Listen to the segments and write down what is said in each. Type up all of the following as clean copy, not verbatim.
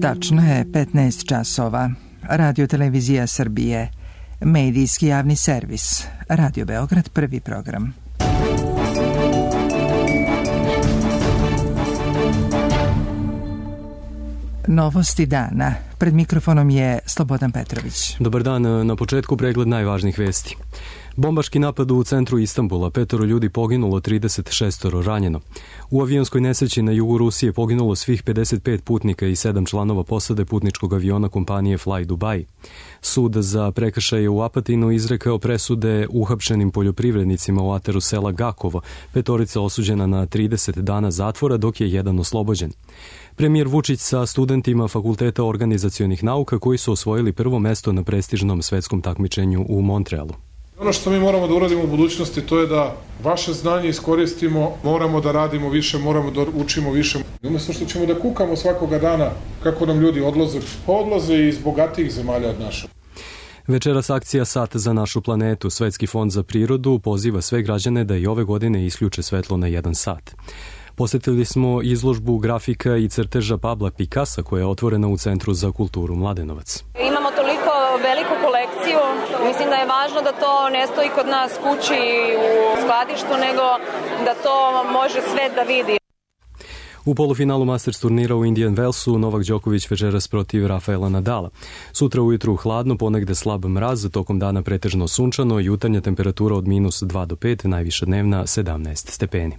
Tačno je 15 časova. Radio Televizija Srbije. Medijski javni servis. Radio Beograd, prvi program. Novosti dana. Pred mikrofonom je Slobodan Petrović. Dobar dan, na početku pregled najvažnijih vesti. Bombaški napad u centru Istanbula, 5 ljudi poginulo, 36 ranjeno. U avionskoj nesreći na jugu Rusije poginulo svih 55 putnika i 7 članova posade putničkog aviona kompanije Fly Dubai. Sud za prekršaje u Apatinu izrekao presude uhapšenim poljoprivrednicima u ataru sela Gakovo, 5 osuđena na 30 dana zatvora, dok je jedan oslobođen. Premijer Vučić sa studentima Fakulteta organizacionih nauka koji su osvojili prvo mesto na prestižnom svetskom takmičenju u Montrealu. Ono što mi moramo da uradimo u budućnosti, to je da vaše znanje iskoristimo, moramo da radimo više, moramo da učimo više. Umjesto što ćemo da kukamo svakoga dana kako nam ljudi odlaze iz bogatijih zemalja od naše. Večeras akcija Sat za našu planetu. Svetski fond za prirodu poziva sve građane da i ove godine isključe svetlo na 1 sat. Posjetili smo izložbu grafika i crteža Pabla Picassa koja je otvorena u Centru za kulturu Mladenovac. Imamo toliko veliku kolekciju, mislim da je važno da to ne stoji kod nas kući u skladištu, nego da to može svet da vidi. U polufinalu Masters turnira u Indian Wellsu Novak Đoković večeras protiv Rafaela Nadala. Sutra ujutru hladno, ponegde slab mraz, tokom dana pretežno sunčano, jutarnja temperatura od -2 do 5, najviša dnevna 17 stepeni.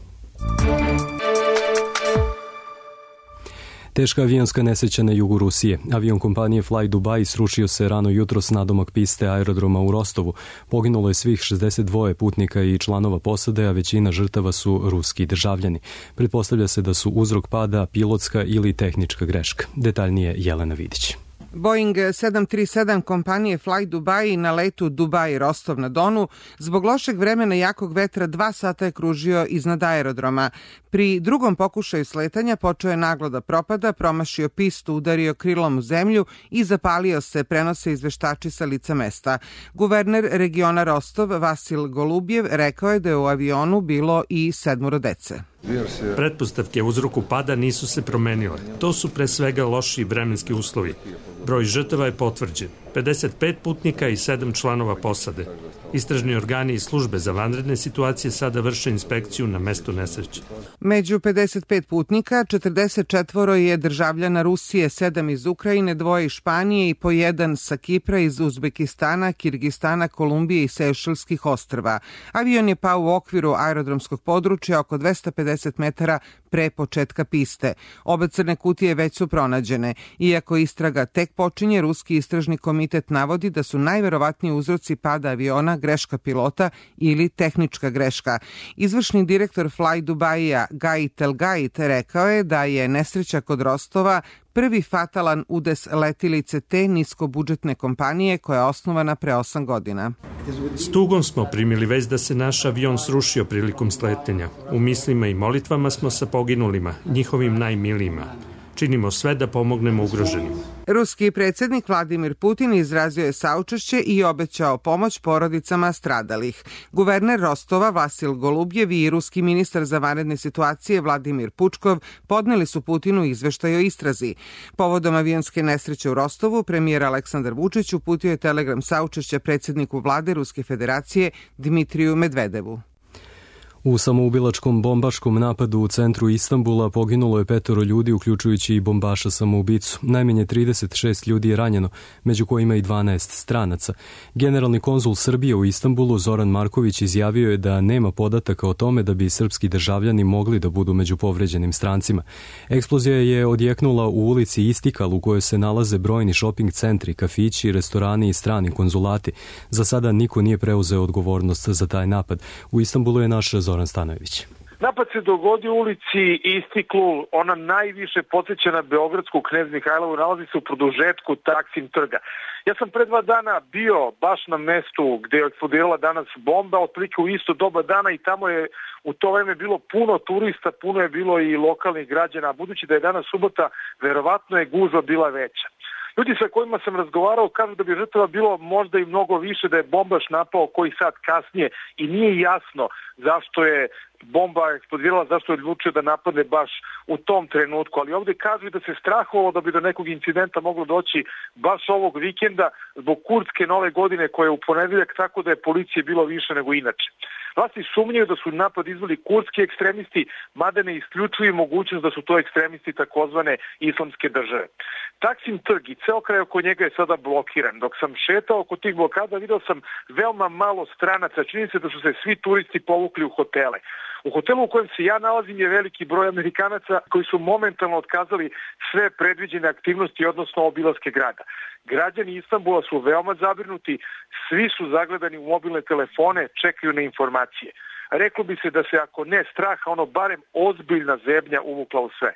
Teška avionska nesreća na jugu Rusije. Avion kompanije Fly Dubai srušio se rano jutros nadomak piste aerodroma u Rostovu. Poginulo je svih 62 putnika i članova posade, a većina žrtava su ruski državljani. Pretpostavlja se da su uzrok pada pilotska ili tehnička greška. Detaljnije Jelena Vidić. Boeing 737 kompanije Fly Dubai na letu Dubai-Rostov na Donu zbog lošeg vremena i jakog vetra 2 sata je kružio iznad aerodroma. Pri drugom pokušaju sletanja počeo je naglo da propada, promašio pistu, udario krilom u zemlju i zapalio se, prenose izveštači sa lica mesta. Guverner regiona Rostov Vasil Golubjev rekao je da je u avionu bilo i 7 dece. Pretpostavke uzroku pada nisu se promenile. To su pre svega loši vremenski uslovi. Broj žrtava je potvrđen. 55 putnika i 7 članova posade. Istražni organi i službe za vanredne situacije sada vrše inspekciju na mestu nesreće. Među 55 putnika, 44 je državljana Rusije, 7 iz Ukrajine, 2 iz Španije i po 1 sa Kipra, iz Uzbekistana, Kirgistana, Kolumbije i Sejšelskih ostrva. Avion je pao u okviru aerodromskog područja oko 250 metara pre početka piste. Obe crne kutije već su pronađene. Iako istraga tek počinje, ruski istražni komitet navodi da su najverovatniji uzroci pada aviona greška pilota ili tehnička greška. Izvršni direktor Fly Dubaija Gait El Gait rekao je da je nesreća kod Rostova prvi fatalan udes letilice te niskobudžetne kompanije koja je osnovana pre 8 godina. S tugom smo primili vest da se naš avion srušio prilikom sletanja. U mislima i molitvama smo sa poginulima, njihovim najmilijima. Činimo sve da pomognemo ugroženim. Ruski predsjednik Vladimir Putin izrazio je saučešće i obećao pomoć porodicama stradalih. Guverner Rostova Vasil Golubjev i ruski ministar za vanredne situacije Vladimir Pučkov podneli su Putinu izveštaj o istrazi. Povodom avionske nesreće u Rostovu, premijer Aleksandar Vučić uputio je telegram saučešća predsjedniku vlade Ruske federacije Dmitriju Medvedevu. U samoubilačkom bombaškom napadu u centru Istanbula poginulo je 5 ljudi, uključujući i bombaša samoubicu. Najmanje 36 ljudi je ranjeno, među kojima i 12 stranaca. Generalni konzul Srbije u Istanbulu Zoran Marković izjavio je da nema podataka o tome da bi srpski državljani mogli da budu među povređenim strancima. Eksplozija je odjeknula u ulici Istikal u kojoj se nalaze brojni šoping centri, kafići, restorani i strani konzulati. Za sada niko nije preuzeo odgovornost za taj napad. U Istanbulu je naš Zoran Stanojević. Napad se dogodio u ulici Istiklul, ona najviše podsjeća na beogradsku Knez Mihajlovu, nalazi se u produžetku Taksim trga. Ja sam pre 2 dana bio baš na mestu gde je eksplodirala danas bomba, otprilike u isto doba dana, i tamo je u to vreme bilo puno turista, puno je bilo i lokalnih građana, budući da je danas subota, verovatno je gužva bila veća. Ljudi sa kojima sam razgovarao kažu da bi žrtava bilo možda i mnogo više, da je bombaš napao koji sat kasnije i nije jasno zašto je bomba eksplodirala, zašto je odlučio da napadne baš u tom trenutku. Ali ovdje kažu da se strahovalo da bi do nekog incidenta moglo doći baš ovog vikenda zbog kurdske nove godine koja je u ponedeljak, tako da je policije bilo više nego inače. Vlasti sumnjaju da su napad izveli kurdski ekstremisti, mada ne isključuju mogućnost da su to ekstremisti takozvane islamske države. Taksim trg i ceo kraj oko njega je sada blokiran. Dok sam šetao oko tih blokada, video sam veoma malo stranaca. Čini se da su se svi turisti povukli u hotele. U hotelu u kojem se ja nalazim je veliki broj Amerikanaca koji su momentalno otkazali sve predviđene aktivnosti, odnosno obilaske grada. Građani Istanbula su veoma zabrinuti, svi su zagledani u mobilne telefone, čekaju na informacije. Reklo bi se da se ako ne straha, ono barem ozbiljna zebnja uvukla u sve.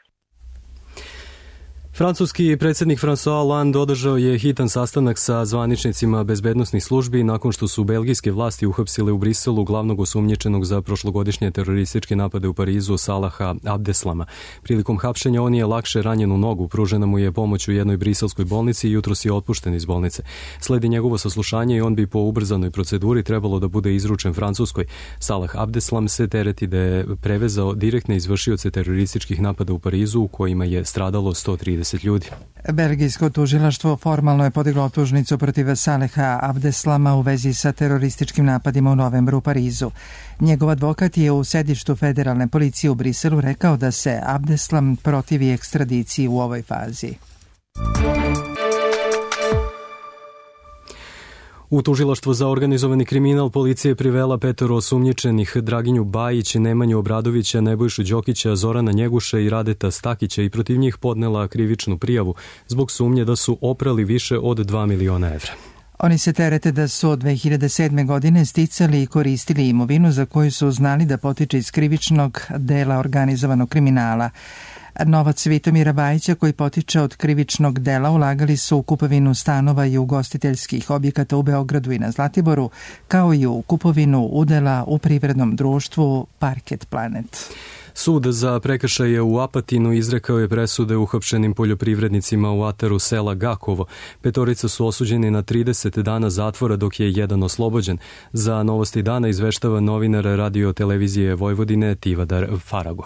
Francuski predsjednik François Hollande održao je hitan sastanak sa zvaničnicima bezbednosnih službi nakon što su belgijske vlasti uhapsile u Briselu glavnog osumnjičenog za prošlogodišnje terorističke napade u Parizu Salaha Abdeslama. Prilikom hapšenja on je lakše ranjen u nogu, pružena mu je pomoć u jednoj briselskoj bolnici i jutros je otpušten iz bolnice. Sledi njegovo saslušanje i on bi po ubrzanoj proceduri trebalo da bude izručen Francuskoj. Salah Abdeslam se tereti da je prevezao direktne izvršioce terorističkih napada u Parizu u kojima je stradalo 130 ljudi. Belgijsko tužilaštvo formalno je podiglo optužnicu protiv Saleha Abdeslama u vezi sa terorističkim napadima u novembru u Parizu. Njegov advokat je u sedištu federalne policije u Briselu rekao da se Abdeslam protivi ekstradiciji u ovoj fazi. U tužilaštvo za organizovani kriminal policija je privela 5 osumnjičenih: Draginju Bajić, Nemanju Obradovića, Nebojšu Đokića, Zorana Njeguša i Radeta Stakića i protiv njih podnela krivičnu prijavu zbog sumnje da su oprali više od 2 miliona evra. Oni se terete da su od 2007. godine sticali i koristili imovinu za koju su znali da potiče iz krivičnog dela organizovanog kriminala. Novac Vitomira Bajića koji potiče od krivičnog dela ulagali su u kupovinu stanova i ugostiteljskih objekata u Beogradu i na Zlatiboru, kao i u kupovinu udela u privrednom društvu Parket Planet. Sud za prekršaje u Apatinu izrekao je presude uhapšenim poljoprivrednicima u ataru sela Gakovo. 5 su osuđeni na 30 dana zatvora, dok je jedan oslobođen. Za Novosti dana izveštava novinar Radio televizije Vojvodine Tivadar Farago.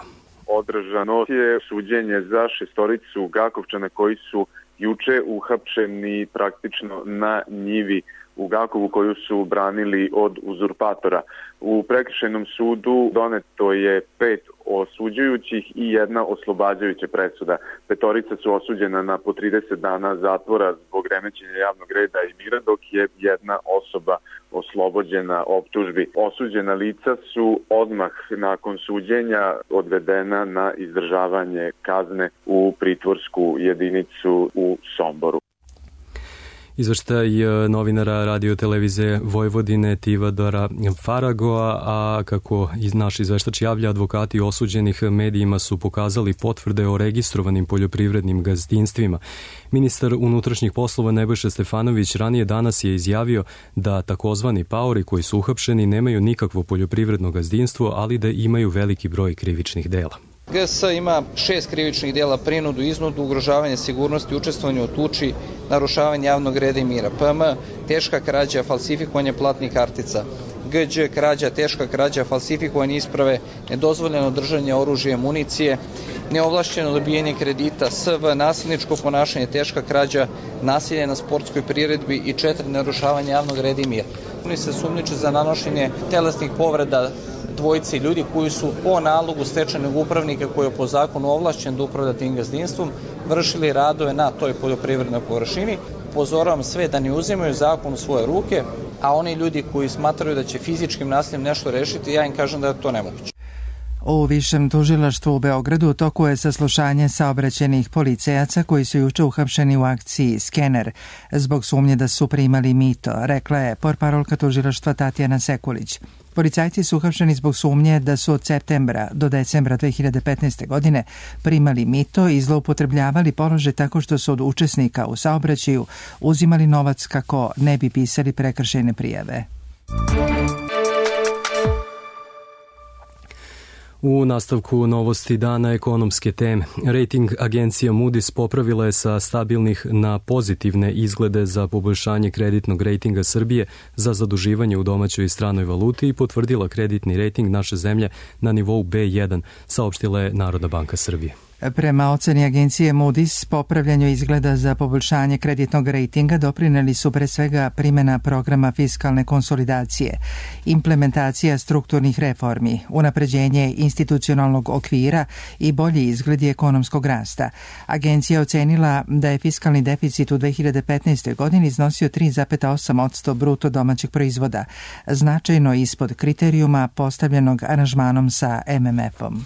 Održano je suđenje za 6 Gakovčana koji su juče uhapšeni praktično na njivi u Gakovu koju su branili od uzurpatora. U prekršajnom sudu doneto je 5 osuđujućih i 1 oslobađajuća presuda. 5 su osuđena na po 30 dana zatvora zbog remećenja javnog reda i mira, dok je 1 osoba oslobođena optužbi. Osuđena lica su odmah nakon suđenja odvedena na izdržavanje kazne u pritvorsku jedinicu u Somboru. Izveštaj novinara Radio televizije Vojvodine Tivadara Faragoa, a kako naš izveštač javlja, advokati osuđenih medijima su pokazali potvrde o registrovanim poljoprivrednim gazdinstvima. Ministar unutrašnjih poslova Nebojša Stefanović ranije danas je izjavio da takozvani paori koji su uhapšeni nemaju nikakvo poljoprivredno gazdinstvo, ali da imaju veliki broj krivičnih dela. GS ima 6 krivičnih dela: prinudu, iznudu, ugrožavanje sigurnosti, učestvovanje u tuči, narušavanje javnog reda i mira. PM, teška krađa, falsifikovanje platnih kartica. Gđ, krađa, teška krađa, falsifikovanje isprave, nedozvoljeno držanje oružja i municije, neovlašćeno dobijanje kredita. SV, nasilničko ponašanje, teška krađa, nasilje na sportskoj priredbi i 4, narušavanje javnog reda i mira. Oni se sumnjiče za nanošenje telesnih povreda dvojici ljudi koji su po nalogu stečajnog upravnika koji je po zakonu ovlašćen da upravlja tim gazdinstvom vršili radove na toj poljoprivrednoj površini. Upozoravam sve da ne uzimaju zakon u svoje ruke, a oni ljudi koji smatraju da će fizičkim nasiljem nešto rešiti, ja im kažem da je to nemoguće. U Višem tužilaštvu u Beogradu u toku je saslušanje saobraćajnih policajaca koji su juče uhapšeni u akciji Skener zbog sumnje da su primali mito, rekla je portparolka tužilaštva Tatjana Sekulić. Policajci su uhapšeni zbog sumnje da su od septembra do decembra 2015. godine primali mito i zloupotrebljavali položaj tako što su od učesnika u saobraćaju uzimali novac kako ne bi pisali prekršajne prijave. U nastavku novosti dana ekonomske teme. Rating agencija Moody's popravila je sa stabilnih na pozitivne izglede za poboljšanje kreditnog rejtinga Srbije za zaduživanje u domaćoj i stranoj valuti i potvrdila kreditni rejting naše zemlje na nivou B1, saopštila je Narodna banka Srbije. Prema oceni agencije Moody's, popravljanju izgleda za poboljšanje kreditnog rejtinga doprineli su pre svega primjena programa fiskalne konsolidacije, implementacija strukturnih reformi, unapređenje institucionalnog okvira i bolji izgledi ekonomskog rasta. Agencija ocenila da je fiskalni deficit u 2015. godini iznosio 3,8% bruto domaćeg proizvoda, značajno ispod kriterijuma postavljenog aranžmanom sa MMF-om.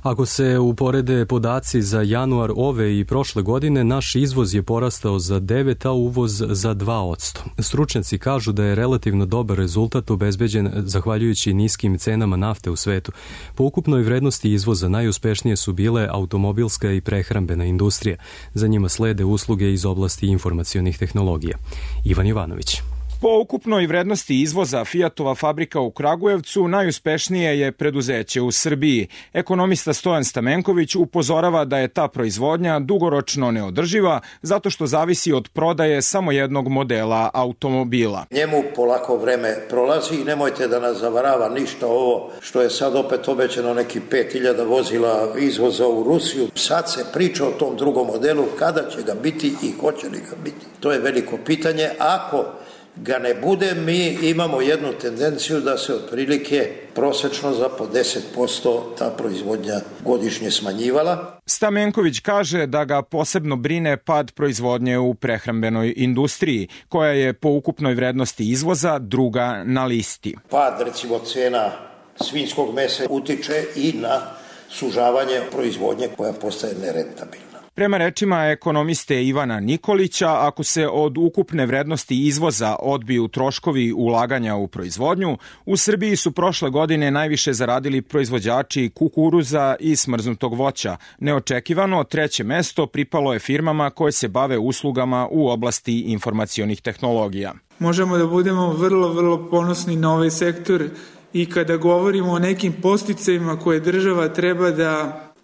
Ako se uporede podaci za januar ove i prošle godine, naš izvoz je porastao za 9, a uvoz za 2%. Stručnjaci kažu da je relativno dobar rezultat obezbeđen zahvaljujući niskim cenama nafte u svetu. Po ukupnoj vrednosti izvoza najuspešnije su bile automobilska i prehrambena industrija. Za njima slede usluge iz oblasti informacionih tehnologija. Ivan Jovanović. Po ukupnoj vrednosti izvoza Fiatova fabrika u Kragujevcu najuspešnije je preduzeće u Srbiji. Ekonomista Stojan Stamenković upozorava da je ta proizvodnja dugoročno neodrživa zato što zavisi od prodaje samo jednog modela automobila. Njemu polako vreme prolazi i nemojte da nas zavarava ništa ovo što je sad opet obećano neki 5000 vozila izvoza u Rusiju. Sad se priča o tom drugom modelu, kada će ga biti i hoće li ga biti. To je veliko pitanje. Ako ga ne bude, mi imamo jednu tendenciju da se otprilike prosečno za po 10% ta proizvodnja godišnje smanjivala. Stamenković kaže da ga posebno brine pad proizvodnje u prehrambenoj industriji, koja je po ukupnoj vrednosti izvoza druga na listi. Pad, recimo, cena svinjskog mesa utiče i na sužavanje proizvodnje koja postaje nerentabilna. Prema rečima ekonomiste Ivana Nikolića, ako se od ukupne vrednosti izvoza odbiju troškovi ulaganja u proizvodnju, u Srbiji su prošle godine najviše zaradili proizvođači kukuruza i smrznutog voća. Neočekivano, treće mesto pripalo je firmama koje se bave uslugama u oblasti informacionih tehnologija. Možemo da budemo vrlo ponosni na ovaj sektor i kada govorimo o nekim podsticajima koje država treba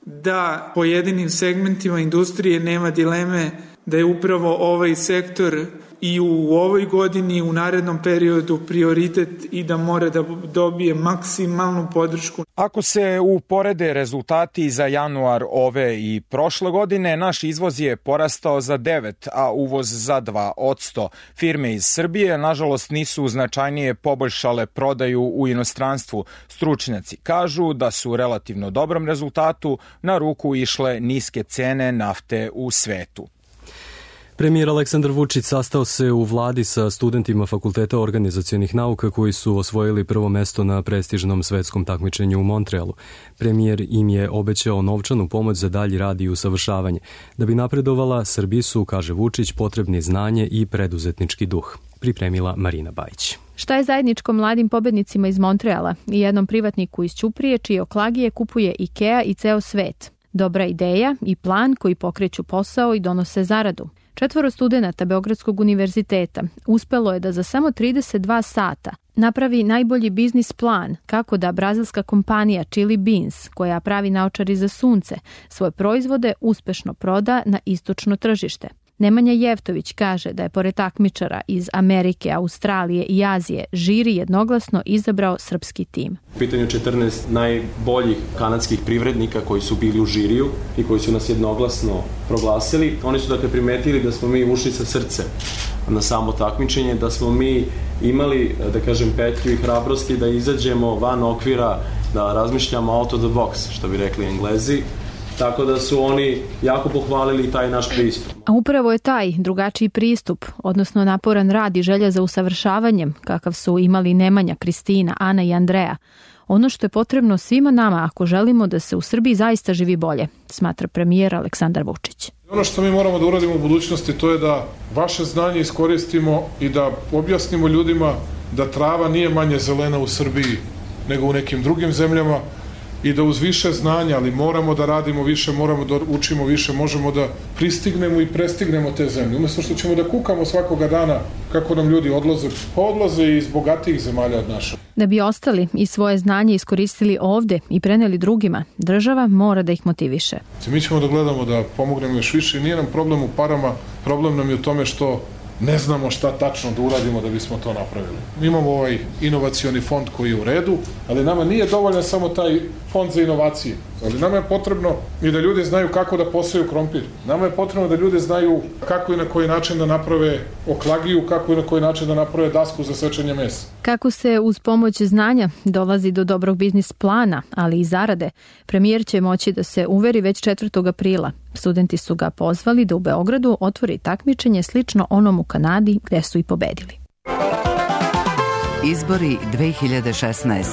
da pojedinim segmentima industrije, nema dileme da je upravo ovaj sektor i u ovoj godini i u narednom periodu prioritet i da mora da dobije maksimalnu podršku. Ako se uporede rezultati za januar ove i prošle godine, naš izvoz je porastao za 9, a uvoz za 2%. Firme iz Srbije, nažalost, nisu značajnije poboljšale prodaju u inostranstvu. Stručnjaci kažu da su u relativno dobrom rezultatu na ruku išle niske cene nafte u svetu. Premijer Aleksandar Vučić sastao se u vladi sa studentima Fakulteta organizacionih nauka koji su osvojili prvo mesto na prestižnom svetskom takmičenju u Montrealu. Premijer im je obećao novčanu pomoć za dalji rad i usavršavanje. Da bi napredovala, Srbiji su, kaže Vučić, potrebni znanje i preduzetnički duh. Pripremila Marina Bajić. Šta je zajedničko mladim pobednicima iz Montreala i jednom privatniku iz Ćuprije čije oklagije kupuje IKEA i ceo svet? Dobra ideja i plan koji pokreću posao i donose zaradu. 4 studenata Beogradskog univerziteta uspelo je da za samo 32 sata napravi najbolji biznis plan kako da brazilska kompanija Chili Beans, koja pravi naočari za sunce, svoje proizvode uspešno proda na istočno tržište. Nemanja Jevtović kaže da je pored takmičara iz Amerike, Australije i Azije žiri jednoglasno izabrao srpski tim. U pitanju 14 najboljih kanadskih privrednika koji su bili u žiriju i koji su nas jednoglasno proglasili. Oni su dakle primetili da smo mi ušli sa srce na samo takmičenje, da smo mi imali, da kažem, petlju i hrabrosti da izađemo van okvira, da razmišljamo out of the box, što bi rekli Englezi. Tako da su oni jako pohvalili taj naš pristup. A upravo je taj drugačiji pristup, odnosno naporan rad i želja za usavršavanjem, kakav su imali Nemanja, Kristina, Ana i Andreja, ono što je potrebno svima nama ako želimo da se u Srbiji zaista živi bolje, smatra premijer Aleksandar Vučić. Ono što mi moramo da uradimo u budućnosti to je da vaše znanje iskoristimo i da objasnimo ljudima da trava nije manje zelena u Srbiji nego u nekim drugim zemljama, i da uz više znanja, ali moramo da radimo više, moramo da učimo više, možemo da pristignemo i prestignemo te zemlje. Umesto što ćemo da kukamo svakoga dana kako nam ljudi odlaze iz bogatijih zemalja od naše. Da bi ostali i svoje znanje iskoristili ovde i preneli drugima, država mora da ih motiviše. Mi ćemo da gledamo da pomognemo još više i nije nam problem u parama, problem nam je u tome što ne znamo šta tačno da uradimo da bismo to napravili. Imamo ovaj inovacioni fond koji je u redu, ali nama nije dovoljan samo taj fond za inovacije. Ali nama je potrebno i da ljudi znaju kako da poseju krompir. Nama je potrebno da ljudi znaju kako i na koji način da naprave oklagiju, kako i na koji način da naprave dasku za sečenje mesa. Kako se uz pomoć znanja dolazi do dobrog biznis plana, ali i zarade, premijer će moći da se uveri već 4. aprila. Studenti su ga pozvali da u Beogradu otvori takmičenje slično onom u Kanadi gde su i pobedili. Izbori 2016.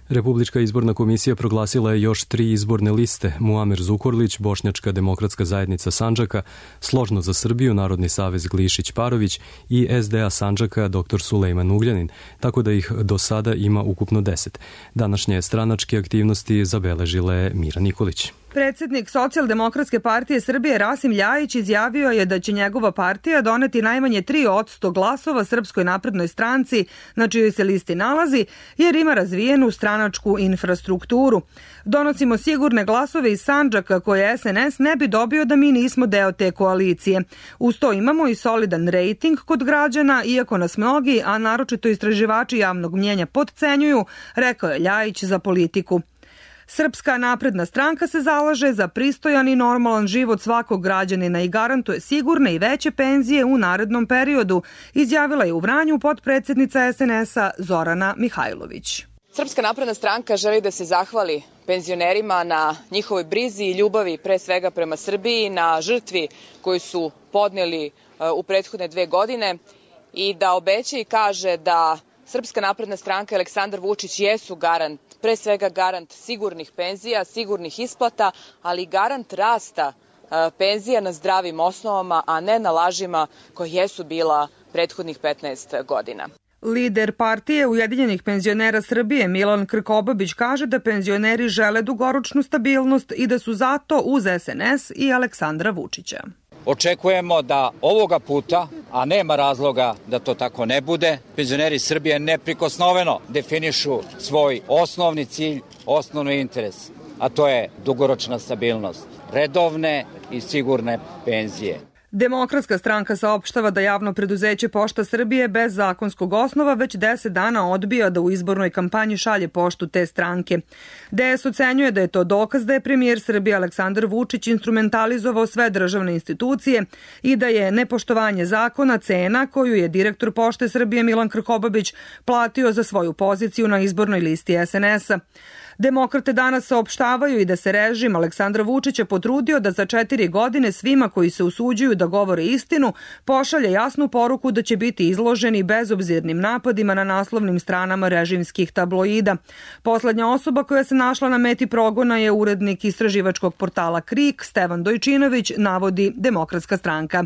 Republička izborna komisija proglasila je još 3 izborne liste: Muamer Zukorlić, Bošnjačka demokratska zajednica Sandžaka, Složno za Srbiju, Narodni savez Glišić-Parović i SDA Sandžaka dr. Sulejman Ugljanin, tako da ih do sada ima ukupno 10. Današnje stranačke aktivnosti zabeležila je Mira Nikolić. Predsednik Socijaldemokratske partije Srbije Rasim Ljajić izjavio je da će njegova partija doneti najmanje 3% glasova Srpskoj naprednoj stranci na čijoj se listi nalazi, jer ima razvijenu stranačku infrastrukturu. Donosimo sigurne glasove iz Sandžaka koje SNS ne bi dobio da mi nismo deo te koalicije. Uz to imamo i solidan rejting kod građana, iako nas mnogi, a naročito istraživači javnog mnjenja potcenjuju, rekao je Ljajić za Politiku. Srpska napredna stranka se zalaže za pristojan i normalan život svakog građanina i garantuje sigurne i veće penzije u narednom periodu, izjavila je u Vranju potpredsednica SNS-a Zorana Mihajlović. Srpska napredna stranka želi da se zahvali penzionerima na njihovoj brizi i ljubavi, pre svega prema Srbiji, na žrtvi koju su podneli u prethodne 2 godine i da obeća i kaže da Srpska napredna stranka i Aleksandar Vučić jesu garant, pre svega garant sigurnih penzija, sigurnih isplata, ali i garant rasta penzija na zdravim osnovama, a ne na lažima koje jesu bila prethodnih 15 godina. Lider partije Ujedinjenih penzionera Srbije Milan Krkobabić kaže da penzioneri žele dugoročnu stabilnost i da su zato uz SNS i Aleksandra Vučića. Očekujemo da ovoga puta, a nema razloga da to tako ne bude, penzioneri Srbije neprikosnoveno definišu svoj osnovni cilj, osnovni interes, a to je dugoročna stabilnost, redovne i sigurne penzije. Demokratska stranka saopštava da javno preduzeće Pošta Srbije bez zakonskog osnova već 10 dana odbija da u izbornoj kampanji šalje poštu te stranke. DS ocenjuje da je to dokaz da je premijer Srbije Aleksandar Vučić instrumentalizovao sve državne institucije i da je nepoštovanje zakona cena koju je direktor Pošte Srbije Milan Krkobabić platio za svoju poziciju na izbornoj listi SNS-a. Demokrate danas saopštavaju i da se režim Aleksandra Vučića potrudio da za 4 godine svima koji se usuđuju da govore istinu pošalje jasnu poruku da će biti izloženi bezobzirnim napadima na naslovnim stranama režimskih tabloida. Poslednja osoba koja se našla na meti progona je urednik istraživačkog portala KRIK Stevan Dojčinović, navodi Demokratska stranka.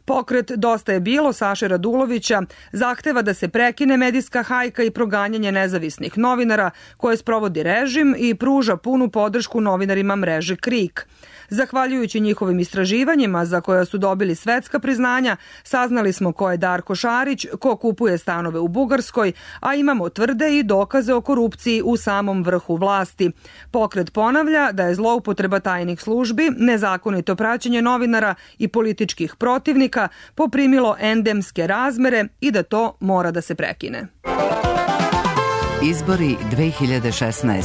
Pokret Dosta je bilo Saše Radulovića zahteva da se prekine medijska hajka i proganjanje nezavisnih novinara koje sprovodi režim i pruža punu podršku novinarima mreže KRIK. Zahvaljujući njihovim istraživanjima za koja su dobili svetska priznanja, saznali smo ko je Darko Šarić, ko kupuje stanove u Bugarskoj, a imamo tvrde i dokaze o korupciji u samom vrhu vlasti. Pokret ponavlja da je zloupotreba tajnih službi, nezakonito praćenje novinara i političkih protivnika poprimilo endemske razmere i da to mora da se prekine. Izbori 2016.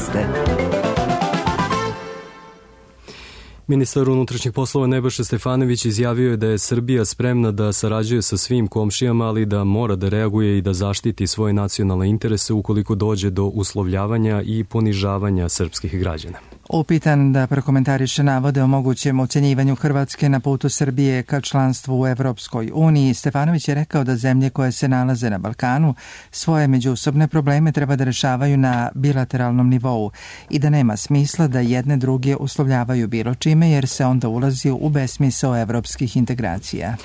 Ministar unutrašnjih poslova Nebojša Stefanović izjavio je da je Srbija spremna da sarađuje sa svim komšijama, ali da mora da reaguje i da zaštiti svoje nacionalne interese ukoliko dođe do uslovljavanja i ponižavanja srpskih građana. Upitan da prokomentariše navode o mogućem ocenjivanju Hrvatske na putu Srbije ka članstvu u Evropskoj uniji, Stefanović je rekao da zemlje koje se nalaze na Balkanu svoje međusobne probleme treba da rešavaju na bilateralnom nivou i da nema smisla da jedne druge uslovljavaju bilo čime jer se onda ulazi u besmisao evropskih integracija.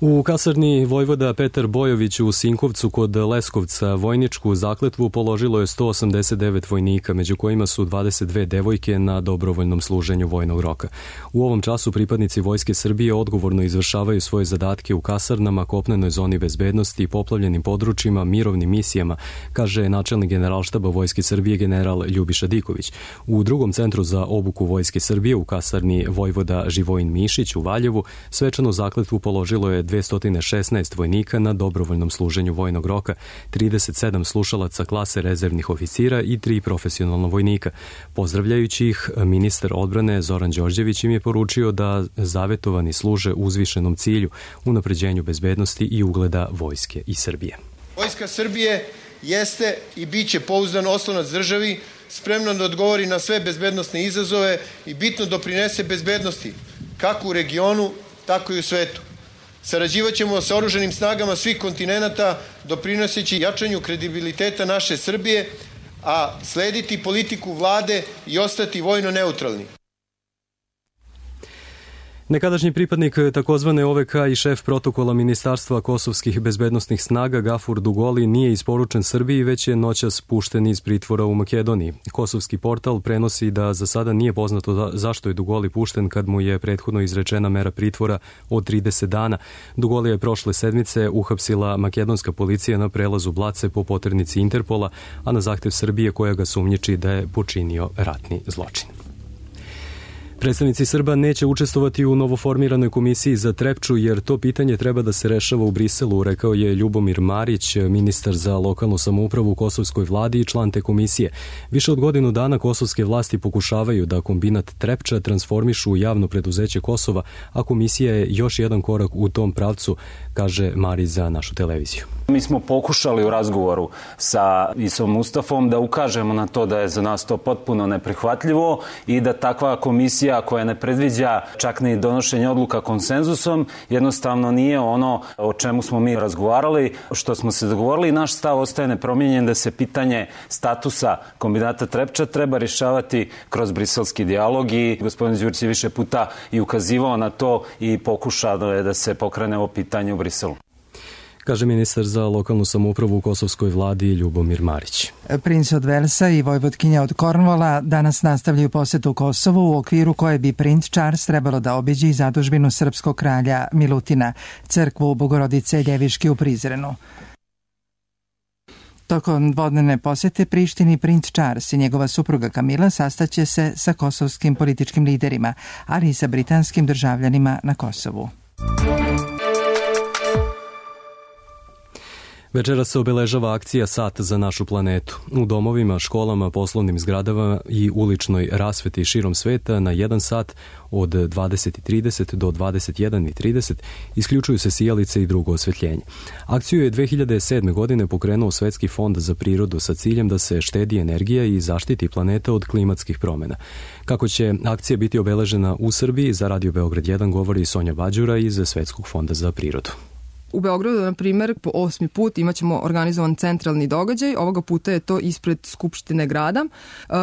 U kasarni vojvoda Petar Bojović u Sinkovcu kod Leskovca vojničku zakletvu položilo je 189 vojnika, među kojima su 22 devojke na dobrovoljnom služenju vojnog roka. U ovom času pripadnici Vojske Srbije odgovorno izvršavaju svoje zadatke u kasarnama, kopnenoj zoni bezbednosti, poplavljenim područjima, mirovnim misijama, kaže načelnik Generalštaba Vojske Srbije general Ljubiša Diković. U drugom centru za obuku Vojske Srbije u kasarni vojvoda Živojin Mišić u Valjevu svečanu zakletvu položilo je 216 vojnika na dobrovoljnom služenju vojnog roka, 37 slušalaca klase rezervnih oficira i 3 profesionalna vojnika. Pozdravljajući ih, ministar odbrane Zoran Đorđević im je poručio da zavetovani služe uzvišenom cilju, unapređenju bezbednosti i ugleda Vojske i Srbije. Vojska Srbije jeste i bit će pouzdan oslonac državi, spremno da odgovori na sve bezbednosne izazove i bitno doprinese bezbednosti, kako u regionu, tako i u svetu. Sarađivaćemo sa oružanim snagama svih kontinenata, doprinoseći jačanju kredibiliteta naše Srbije, a slediti politiku vlade i ostati vojno neutralni. Nekadašnji pripadnik takozvane OVK i šef protokola Ministarstva kosovskih bezbednostnih snaga Gafur Dugoli nije isporučen Srbiji, već je noćas pušten iz pritvora u Makedoniji. Kosovski portal prenosi da za sada nije poznato zašto je Dugoli pušten kad mu je prethodno izrečena mera pritvora od 30 dana. Dugoli je prošle sedmice uhapsila makedonska policija na prelazu Blace po poternici Interpola, a na zahtev Srbije koja ga sumnjiči da je počinio ratni zločin. Predstavnici Srba neće učestvovati u novoformiranoj komisiji za Trepču, jer to pitanje treba da se rešava u Briselu, rekao je Ljubomir Marić, ministar za lokalnu samoupravu u kosovskoj vladi i član te komisije. Više od godinu dana kosovske vlasti pokušavaju da kombinat Trepča transformišu u javno preduzeće Kosova, a komisija je još jedan korak u tom pravcu, kaže Marić za našu televiziju. Mi smo pokušali u razgovoru sa Isom Mustafom da ukažemo na to da je za nas to potpuno neprihvatljivo i da takva komisija koja ne predviđa čak ni donošenje odluka konsenzusom jednostavno nije ono o čemu smo mi razgovarali, što smo se dogovorili. Naš stav ostaje nepromijenjen da se pitanje statusa kombinata Trepča treba rješavati kroz briselski dijalog i gospodin Đurić je više puta i ukazivao na to i pokušao je da se pokrene ovo pitanje u Briselu, kaže ministar za lokalnu samoupravu u kosovskoj vladi Ljubomir Marić. Princ od Velsa i vojvodkinja od Kornvola danas nastavljaju posetu Kosovu, u okviru koje bi princ Charles trebalo da obiđe i zadužbinu srpskog kralja Milutina, crkvu Bogorodice Ljeviške u Prizrenu. Tokom dvodnevne posete Prištini princ Charles i njegova supruga Kamila sastaće se sa kosovskim političkim liderima, ali i sa britanskim državljanima na Kosovu. Večeras se obeležava akcija Sat za našu planetu. U domovima, školama, poslovnim zgradama i uličnoj rasveti širom sveta na 1 sat od 20:30 do 21:30 isključuju se sijalice i drugo osvetljenje. Akciju je 2007. godine pokrenuo Svetski fond za prirodu sa ciljem da se štedi energija i zaštiti planeta od klimatskih promjena. Kako će akcija biti obeležena u Srbiji, za Radio Beograd 1 govori Sonja Bađura iz Svetskog fonda za prirodu. U Beogradu, na primjer, po 8. put imaćemo organizovan centralni događaj. Ovoga puta je to ispred Skupštine grada.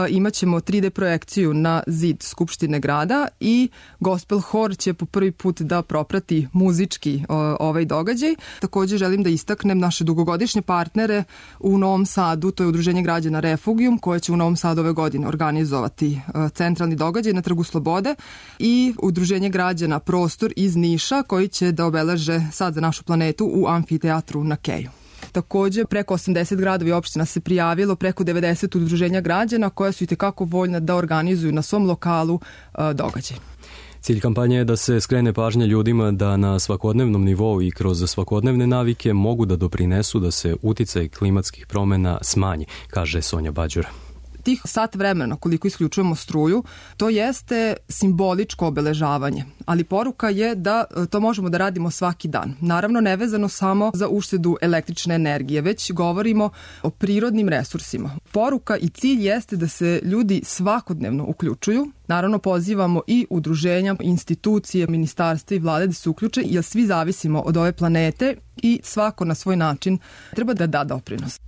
Imaćemo 3D projekciju na zid Skupštine grada i gospel hor će po prvi put da proprati muzički ovaj događaj. Također želim da istaknem naše dugogodišnje partnere u Novom Sadu, to je Udruženje građana Refugium, koje će u Novom Sadu ove godine organizovati centralni događaj na Trgu Slobode, i Udruženje građana Prostor iz Niša, koji će da obeleže Sad za našu planetu u amfiteatru na Keju. Također, preko 80 gradova i opština se prijavilo, preko 90 udruženja građana koja su itekako voljna da organizuju na svom lokalu događaj. Cilj kampanje je da se skrene pažnja ljudima da na svakodnevnom nivou i kroz svakodnevne navike mogu da doprinesu da se uticaj klimatskih promjena smanji, kaže Sonja Bađura. Tih sat vremena koliko isključujemo struju, to jeste simboličko obeležavanje, ali poruka je da to možemo da radimo svaki dan. Naravno, nevezano samo za uštedu električne energije, već govorimo o prirodnim resursima. Poruka i cilj jeste da se ljudi svakodnevno uključuju. Naravno, pozivamo i udruženja, institucije, ministarstva i vlade da se uključe, jer svi zavisimo od ove planete i svako na svoj način treba da da doprinos.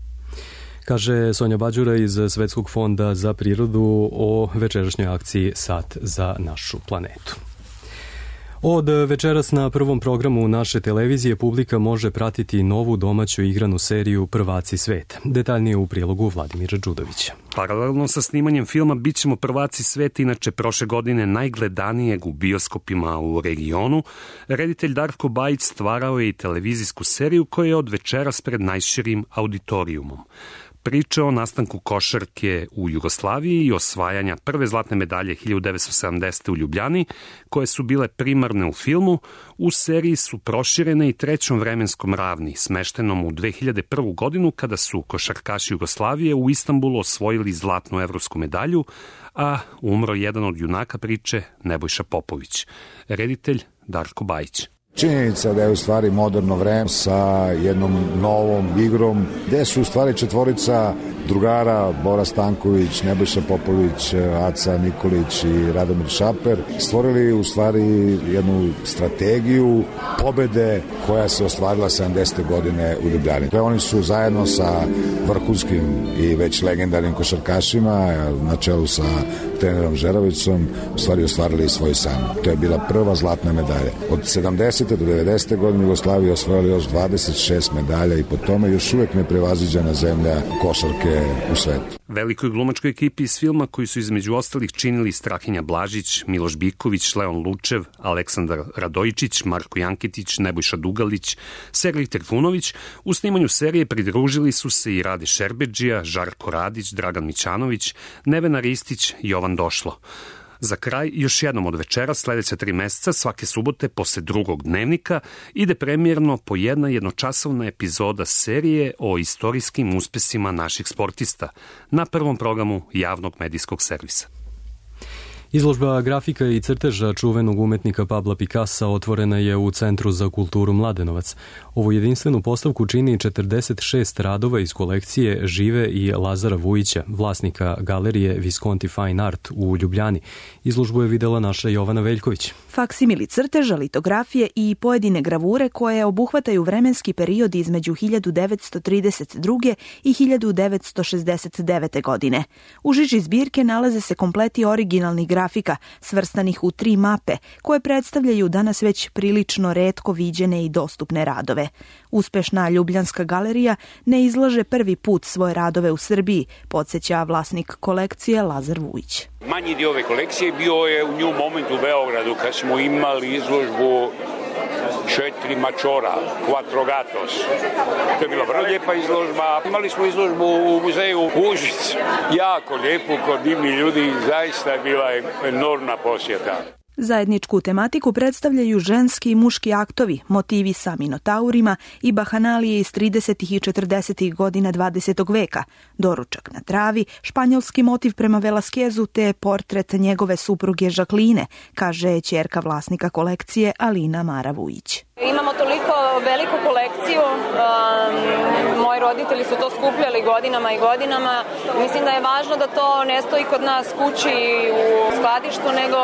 Kaže Sonja Bađura iz Svetskog fonda za prirodu o večerašnjoj akciji Sat za našu planetu. Od večeras na prvom programu naše televizije publika može pratiti novu domaću igranu seriju Prvaci sveta. Detaljnije u prilogu Vladimira Đudovića. Paralelno sa snimanjem filma Bićemo prvaci sveta, inače prošle godine najgledanijeg u bioskopima u regionu, reditelj Darko Bajić stvarao je i televizijsku seriju koja je od večeras pred najširim auditorijumom. Priča o nastanku košarke u Jugoslaviji i osvajanja prve zlatne medalje 1970. u Ljubljani, koje su bile primarne u filmu, u seriji su proširene i trećom vremenskom ravni, smeštenom u 2001. godinu kada su košarkaši Jugoslavije u Istanbulu osvojili zlatnu evropsku medalju, a umro jedan od junaka priče, Nebojša Popović. Reditelj Darko Bajić. Činjenica da je u stvari moderno vreme sa jednom novom igrom, gde su u stvari četvorica drugara, Bora Stanković, Nebojša Popović, Aca Nikolić i Radomir Šaper, stvorili u stvari jednu strategiju pobede koja se ostvarila 70. godine u Ljubljani. Oni su zajedno sa vrhunskim i već legendarnim košarkašima, na čelu sa trenerom Žerovicom, u stvari ostvarili svoj san. To je bila prva zlatna medalja. Od 70. do 90. godine Jugoslavija osvojila još 26 medalja i po tome još uvek neprevaziđena zemlja košarke u svetu. Velikoj glumačkoj ekipi iz filma, koji su između ostalih činili Strahinja Blažić, Miloš Biković, Leon Lučev, Aleksandar Radojičić, Marko Janketić, Nebojša Dugalić, Sergej Trifunović, u snimanju serije pridružili su se i Rade Šerbedžija, Žarko Radić, Dragan Mićanović, Nevena Ristić, Jovan Došlo. Za kraj, još jednom od večera, sledeća 3 meseca, svake subote, posle drugog dnevnika, ide premijerno po jedna jednočasovna epizoda serije o istorijskim uspesima naših sportista na prvom programu javnog medijskog servisa. Izložba grafika i crteža čuvenog umetnika Pabla Picassa otvorena je u Centru za kulturu Mladenovac. Ovu jedinstvenu postavku čini 46 radova iz kolekcije Žive i Lazara Vujića, vlasnika galerije Visconti Fine Art u Ljubljani. Izložbu je videla naša Jovana Veljković. Faksimili crteža, litografije i pojedine gravure koje obuhvataju vremenski period između 1932. i 1969. godine. U žiži zbirke nalaze se kompleti originalnih grafika, svrstanih u 3 mape, koje predstavljaju danas već prilično retko viđene i dostupne radove. Uspešna Ljubljanska galerija ne izlaže prvi put svoje radove u Srbiji, podsjeća vlasnik kolekcije Lazar Vujić. Manji dio ove kolekcije bio je u New Moment u Beogradu, kad smo imali izložbu 4 mačora, Quattro Gatos. To je bila vrlo lijepa izložba. Imali smo izložbu u muzeju Užic, jako lijepu, kod divni ljudi, zaista je bila enormna posjeta. Zajedničku tematiku predstavljaju ženski i muški aktovi, motivi sa minotaurima i bahanalije iz 30. i 40. godina 20. veka, doručak na travi, španjolski motiv prema Velaskezu te portret njegove supruge Žakline, kaže ćerka vlasnika kolekcije Alina Mara Vujić. Imamo toliko veliku kolekciju, moji roditelji su to skupljali godinama i godinama. Mislim da je važno da to ne stoji kod nas kući u skladištu, nego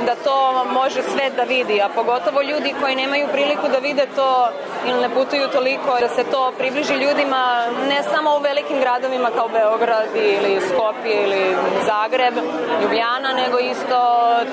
da to može svet da vidi, a pogotovo ljudi koji nemaju priliku da vide to ili ne putuju toliko, da se to približi ljudima ne samo u velikim gradovima kao Beograd ili Skopje ili Zagreb, Ljubljana, nego isto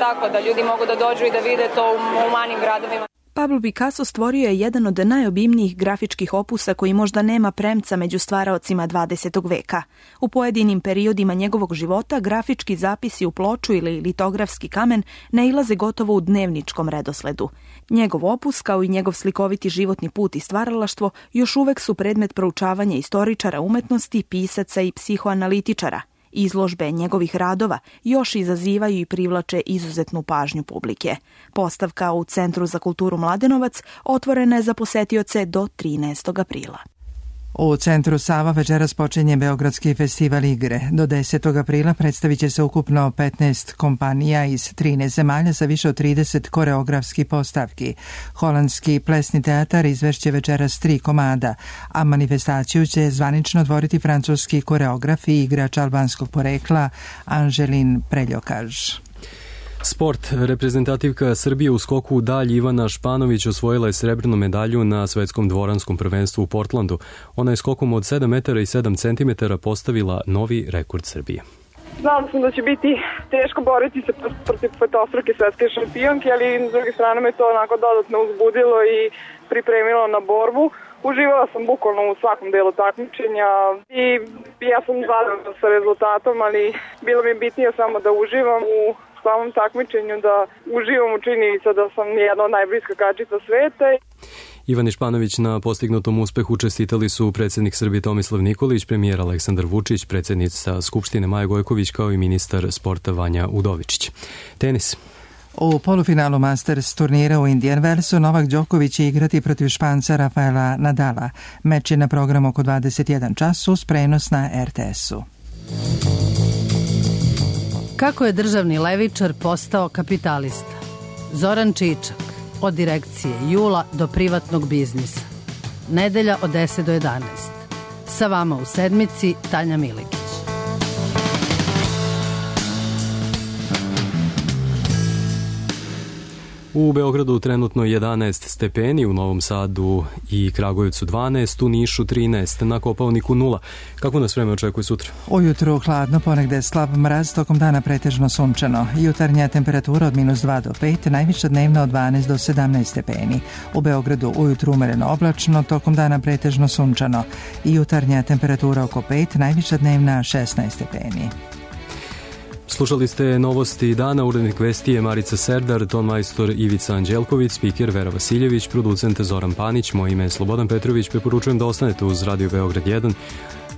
tako da ljudi mogu da dođu i da vide to u manjim gradovima. Pablo Picasso stvorio je jedan od najobimnijih grafičkih opusa koji možda nema premca među stvaraocima 20. veka. U pojedinim periodima njegovog života grafički zapisi u ploču ili litografski kamen nailaze gotovo u dnevničkom redosledu. Njegov opus, kao i njegov slikoviti životni put i stvaralaštvo, još uvek su predmet proučavanja istoričara umetnosti, pisaca i psihoanalitičara. Izložbe njegovih radova još izazivaju i privlače izuzetnu pažnju publike. Postavka u Centru za kulturu Mladenovac otvorena je za posetioce do 13. aprila. U Centru Sava večeras počinje Beogradski festival igre. Do 10. aprila predstavit će se ukupno 15 kompanija iz 13 zemalja sa više od 30 koreografskih postavki. Holandski plesni teatar izvešće večeras 3 komada, a manifestaciju će zvanično otvoriti francuski koreograf i igrač albanskog porekla Anželin Preljokaž. Sport. Reprezentativka Srbije u skoku u dalj Ivana Španović osvojila je srebrnu medalju na svetskom dvoranskom prvenstvu u Portlandu. Ona je skokom od 7 metara i 7 centimetara postavila novi rekord Srbije. Znala sam da će biti teško boriti se protiv petostruke svetske šampionke, ali s druge strane me to onako dodatno uzbudilo i pripremilo na borbu. Uživala sam bukvalno u svakom delu takmičenja i ja sam zadovoljna sa rezultatom, ali bilo mi bitnije samo da uživam u samom takmičenju, da uživam u činjenica da sam jedna od najboljih skakačica sveta. Ivani Španović na postignutom uspehu čestitali su predsjednik Srbije Tomislav Nikolić, premijer Aleksandar Vučić, predsjednica Skupštine Maja Gojković kao i ministar sporta Vanja Udovičić. Tenis. U polufinalu Masters turnira u Indian Wellsu Novak Đoković će igrati protiv Španca Rafaela Nadala. Meč je na programu oko 21 čas uz prenos na RTS-u. Kako je državni levičar postao kapitalista? Zoran Čičak, od direkcije Jula do privatnog biznisa. Nedelja od 10 do 11. Sa vama u sedmici Tanja Milikić. U Beogradu trenutno 11 stepeni, u Novom Sadu i Kragujevcu 12, u Nišu 13, na Kopaoniku 0. Kako nas vreme očekuje sutra? Ujutru hladno, ponegde slab mraz, tokom dana pretežno sunčano. Jutarnja temperatura od -2 do 5, najviša dnevna od 12 do 17 stepeni. U Beogradu ujutru umereno oblačno, tokom dana pretežno sunčano. I jutarnja temperatura oko 5, najviša dnevna 16 stepeni. Slušali ste novosti dana, urednik vesti je Marica Serdar, tonmajstor Ivica Anđelković, spiker Vera Vasiljević, producent Zoran Panić, moje ime je Slobodan Petrović, preporučujem da ostanete uz Radio Beograd 1.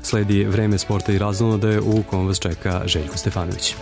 Sledi vreme sporta i razonodaje u kom vas čeka Željko Stefanović.